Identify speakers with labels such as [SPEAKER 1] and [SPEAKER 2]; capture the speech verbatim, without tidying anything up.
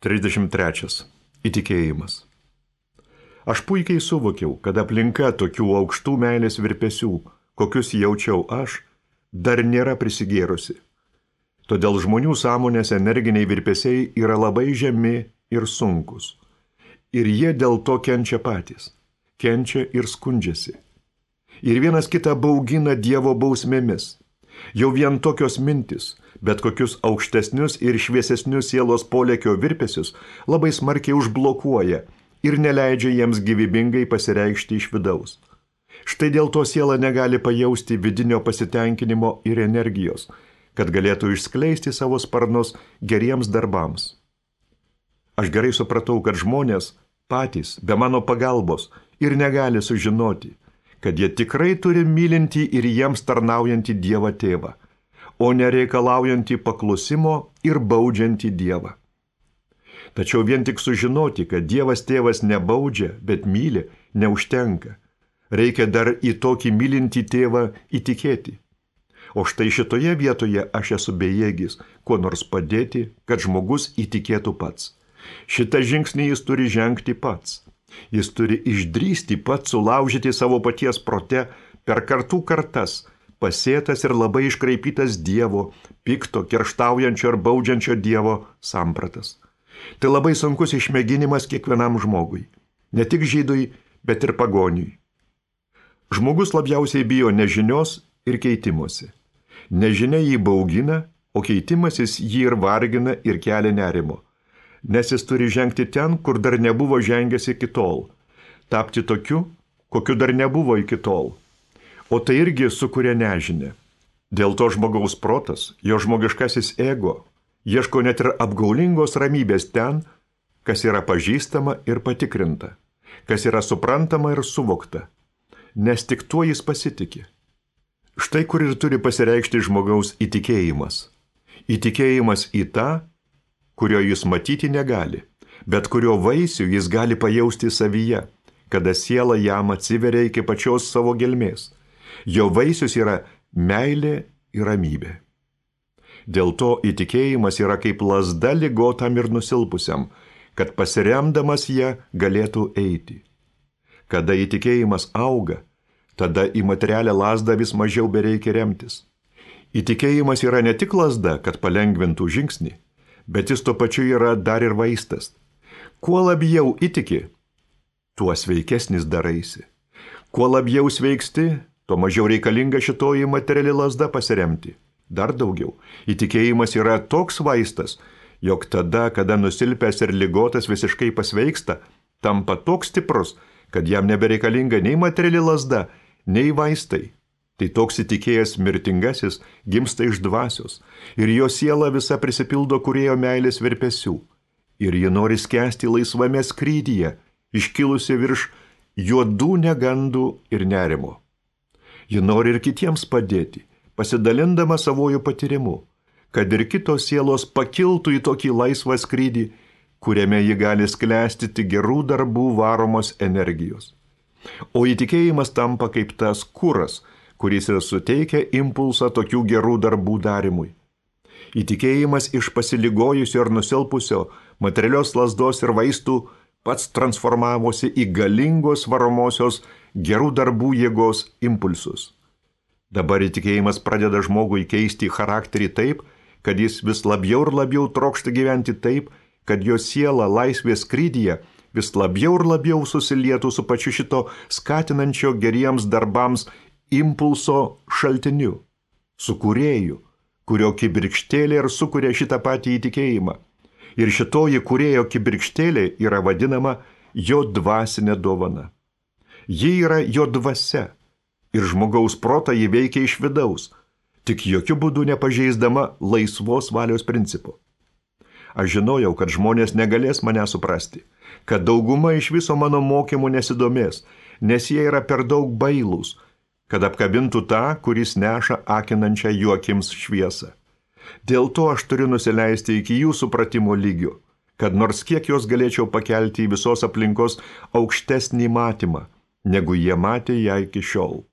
[SPEAKER 1] trisdešimt trečias. Įtikėjimas. Aš puikiai suvokiau, kad aplinka tokių aukštų meilės virpesių, kokius jaučiau aš, dar nėra prisigėrusi. Todėl žmonių sąmonės energiniai virpesiai yra labai žemi ir sunkus. Ir jie dėl to kenčia patys. Kenčia ir skundžiasi. Ir vienas kitą baugina Dievo bausmėmis. Jau vien tokios mintis, bet kokius aukštesnius ir šviesesnius sielos polėkio virpesius labai smarkiai užblokuoja ir neleidžia jiems gyvybingai pasireikšti iš vidaus. Štai dėl to siela negali pajausti vidinio pasitenkinimo ir energijos, kad galėtų išskleisti savo sparnus geriems darbams. Aš gerai supratau, kad žmonės patys, be mano pagalbos, ir negali sužinoti, kad jie tikrai turi mylinti ir jiems tarnaujantį Dievą tėvą, o nereikalaujantį paklusimo ir baudžiantį Dievą. Tačiau vien tik sužinoti, kad Dievas tėvas nebaudžia, bet myli, neužtenka. Reikia dar į tokį mylintį tėvą įtikėti. O štai šitoje vietoje aš esu bejėgis, kuo nors padėti, kad žmogus įtikėtų pats. Šitą žingsnį jis turi žengti pats. Jis turi išdrįsti pats sulaužyti savo paties prote per kartų kartas, pasėtas ir labai iškraipytas Dievo, pikto, kerštaujančio ir baudžiančio Dievo sampratas. Tai labai sunkus išmėginimas kiekvienam žmogui, ne tik žydui, bet ir pagoniui. Žmogus labiausiai bijo nežinios ir keitimosi. Nežinia jį baugina, o keitimasis jį ir vargina ir kelia nerimo. Nes jis turi žengti ten, kur dar nebuvo žengęs iki tol. Tapti tokiu, kokiu dar nebuvo iki tol. O tai irgi sukuria nežinę. Dėl to žmogaus protas, jo žmogiškasis ego, ieško net ir apgaulingos ramybės ten, kas yra pažįstama ir patikrinta, kas yra suprantama ir suvokta, nes tik tuo jis pasitiki. Štai kur ir turi pasireikšti žmogaus įtikėjimas. Įtikėjimas į tą, kurio jis matyti negali, bet kurio vaisių jis gali pajausti savyje, kada siela jam atsiveria iki pačios savo gelmės. Jo vaisius yra meilė ir ramybė. Dėl to įtikėjimas yra kaip lazda ligotam ir nusilpusiam, kad pasiremdamas ją galėtų eiti. Kada įtikėjimas auga, tada į materialią lazdą vis mažiau bereikia remtis. Įtikėjimas yra ne tik lazda, kad palengvintų žingsnį, bet jis tuo pačiu yra dar ir vaistas. Kuo labiau įtiki, tuo sveikesnis daraisi. Kuo labiau sveiksti, tuo mažiau reikalinga šitoji materiali lazda pasiremti. Dar daugiau, įtikėjimas yra toks vaistas, jog tada, kada nusilpęs ir ligotas visiškai pasveiksta, tampa toks stiprus, kad jam nebereikalinga nei materiali lazda, nei vaistai. Tai toks įtikėjęs mirtingasis gimsta iš dvasios, ir jo siela visa prisipildo kūrėjo meilės virpesių, ir ji nori skęsti laisvame skrydyje, iškilusi virš juodų negandų ir nerimo. Ji nori ir kitiems padėti, pasidalindama savojų patyrimu, kad ir kitos sielos pakiltų į tokį laisvą skrydį, kuriame ji gali sklęsti tik gerų darbų varomos energijos. O įtikėjimas tampa kaip tas kuras, kuris ir suteikia impulsą tokių gerų darbų darimui. Įtikėjimas iš pasiligojusio ir nusilpusio materialios lazdos ir vaistų pats transformavosi į galingos varomosios gerų darbų jėgos impulsus. Dabar įtikėjimas pradeda žmogui keisti charakterį taip, kad jis vis labiau ir labiau trokšta gyventi taip, kad jo siela laisvės skrydyje vis labiau ir labiau susilietų su pačiu šito skatinančio geriems darbams impulso šaltiniu, su kūrėju, kurio kibirkštėlė ir sukuria šitą patį įtikėjimą. Ir šitoji kūrėjo kibirkštėlė yra vadinama jo dvasinė dovana. Ji yra jo dvasia ir žmogaus protą jį veikia iš vidaus, tik jokių būdų nepažeisdama laisvos valios principų. Aš žinojau, kad žmonės negalės mane suprasti, kad dauguma iš viso mano mokymų nesidomės, nes jie yra per daug bailūs, kad apkabintų tą, kuris neša akinančią jų akims šviesą. Dėl to aš turiu nusileisti iki jų supratimo lygio, kad nors kiek jos galėčiau pakelti į visos aplinkos aukštesnį matymą, negu jie matė ją iki šiol.